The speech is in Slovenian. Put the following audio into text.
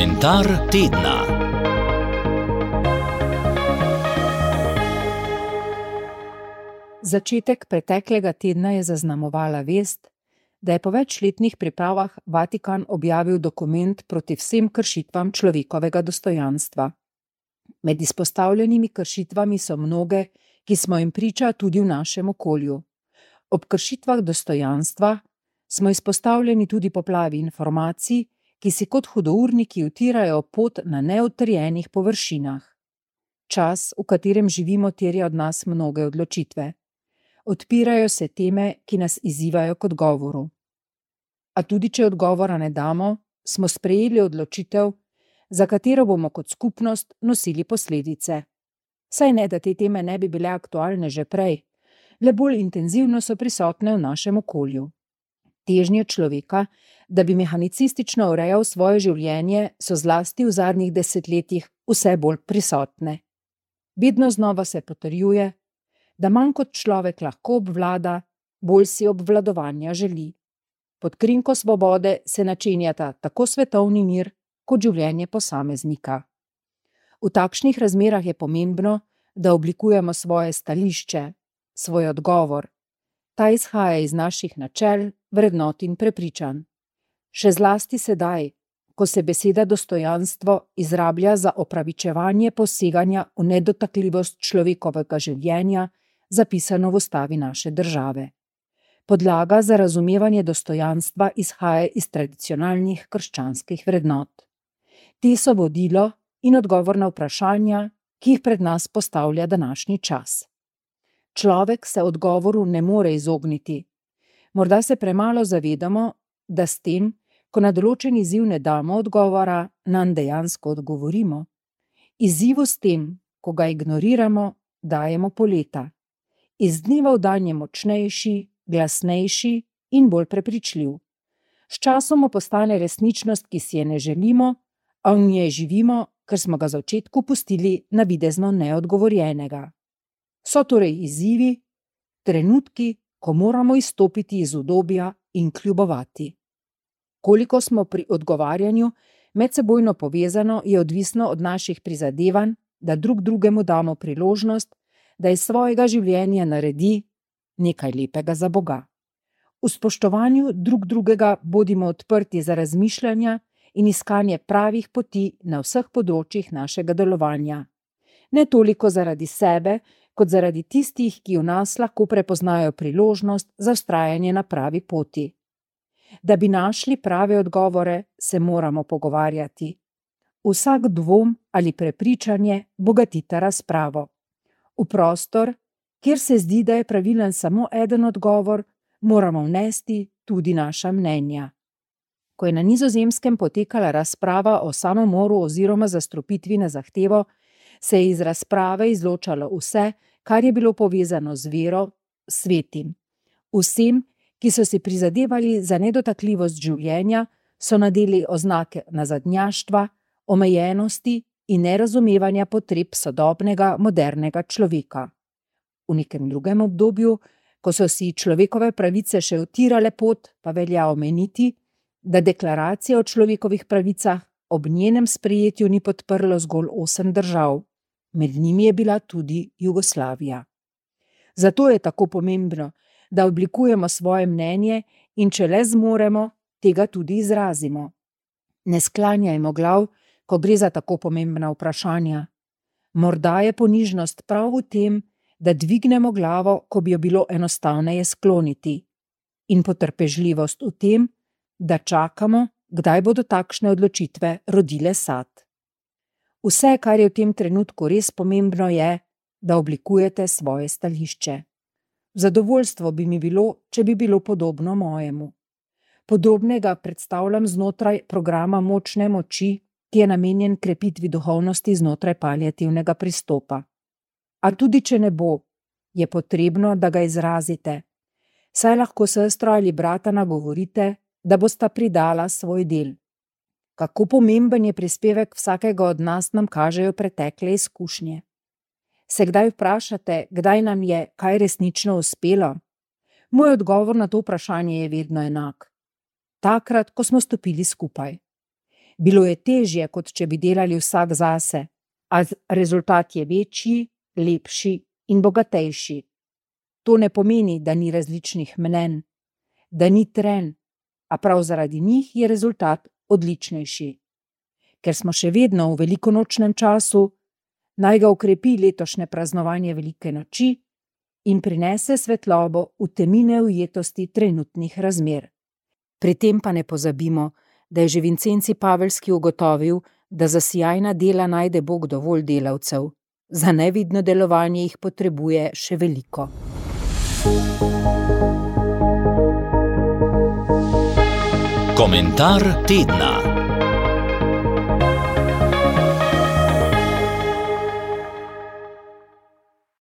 Komentar tedna. Začetek preteklega tedna je zaznamovala vest, da je po večletnih pripravah Vatikan objavil dokument proti vsem kršitvam človekovega dostojanstva. Med izpostavljenimi kršitvami so mnoge, ki smo jim priča tudi v našem okolju. Ob kršitvah dostojanstva smo izpostavljeni tudi poplavi informacij, ki si kot hudourniki utirajo pot na neutrjenih površinah. Čas, v katerem živimo, terja od nas mnoge odločitve. Odpirajo se teme, ki nas izzivajo k odgovoru. A tudi če odgovora ne damo, smo sprejeli odločitev, za katero bomo kot skupnost nosili posledice. Saj ne, da te teme ne bi bile aktualne že prej, le bolj intenzivno so prisotne v našem okolju. Težnje človeka, da bi mehanicistično urejal svoje življenje, so zlasti v zadnjih desetletjih vse bolj prisotne. Vedno znova se potrjuje, da manj kot človek lahko obvlada, bolj si obvladovanja želi. Pod krinko svobode se načenjata tako svetovni mir, kot življenje posameznika. V takšnih razmerah je pomembno, da oblikujemo svoje stališče, svoj odgovor. Ta izhaja iz naših načel, vrednot in prepričanj. Še zlasti sedaj, ko se beseda dostojanstvo izrablja za opravičevanje poseganja v nedotakljivost človekovega življenja, zapisano v ustavi naše države. Podlaga za razumevanje dostojanstva izhaja iz tradicionalnih krščanskih vrednot. Te so vodilo in odgovor na vprašanja, ki jih pred nas postavlja današnji čas. Človek se odgovoru ne more izogniti. Morda se premalo zavedamo, da s tem, ko na določen izziv ne damo odgovora, nanj dejansko odgovorimo. Izzivu s tem, ko ga ignoriramo, dajemo poleta. Iz dneva v dan je močnejši, glasnejši in bolj prepričljiv. S časom postane resničnost, ki si je ne želimo, a v njej živimo, ker smo ga v začetku pustili navidezno neodgovorjenega. So torej izzivi, trenutki, ko moramo izstopiti iz udobja in kljubovati. Koliko smo pri odgovarjanju medsebojno povezano, je odvisno od naših prizadevanj, da drug drugemu damo priložnost, da iz svojega življenja naredi nekaj lepega za Boga. V spoštovanju drug drugega bodimo odprti za razmišljanja in iskanje pravih poti na vseh področjih našega delovanja. Ne toliko zaradi sebe, kot zaradi tistih, ki v nas lahko prepoznajo priložnost za vztrajanje na pravi poti. Da bi našli prave odgovore, se moramo pogovarjati. Vsak dvom ali prepričanje bogatita razpravo. V prostor, kjer se zdi, da je pravilen samo eden odgovor, moramo vnesti tudi naša mnenja. Ko je na Nizozemskem potekala razprava o samomoru oziroma zastrupitvi na zahtevo, se je iz razprave izločalo vse, kar je bilo povezano z vero, svetim. Vsem, ki so si prizadevali za nedotakljivost življenja, so nadeli oznake nazadnjaštva, omejenosti in nerazumevanja potreb sodobnega, modernega človeka. V nekem drugem obdobju, ko so si človekove pravice še utirale pot, pa velja omeniti, da deklaracija o človekovih pravicah ob njenem sprejetju ni podprlo zgolj 8 držav. Med njimi je bila tudi Jugoslavija. Zato je tako pomembno, da oblikujemo svoje mnenje in če le zmoremo, tega tudi izrazimo. Ne sklanjajmo glav, ko gre za tako pomembna vprašanja. Morda je ponižnost prav v tem, da dvignemo glavo, ko bi jo bilo enostavneje skloniti. In potrpežljivost v tem, da čakamo, kdaj bodo takšne odločitve rodile sad. Vse, kar je v tem trenutku res pomembno, je, da oblikujete svoje stališče. Zadovoljstvo bi mi bilo, če bi bilo podobno mojemu. Podobnega predstavljam znotraj programa Močne moči, ki je namenjen krepitvi duhovnosti znotraj paliativnega pristopa. A tudi če ne bo, je potrebno, da ga izrazite. Saj lahko sestro ali brata nagovorite, da bosta pridala svoj del. Kako pomemben je prispevek vsakega od nas, nam kažejo pretekle izkušnje. Se kdaj vprašate, kdaj nam je kaj resnično uspelo? Moj odgovor na to vprašanje je vedno enak. Takrat, ko smo stopili skupaj. Bilo je težje, kot če bi delali vsak zase, a rezultat je večji, lepši in bogatejši. To ne pomeni, da ni različnih mnenj, da ni trenj, a prav zaradi njih je rezultat odličnejši. Ker smo še vedno v velikonočnem času, naj ga okrepi letošnje praznovanje velike noči in prinese svetlobo v temine ujetosti trenutnih razmer. Pri tem pa ne pozabimo, da je že Vincenci Pavelski ugotovil, da za sijajna dela najde Bog dovolj delavcev, za nevidno delovanje jih potrebuje še veliko. Komentar tedna.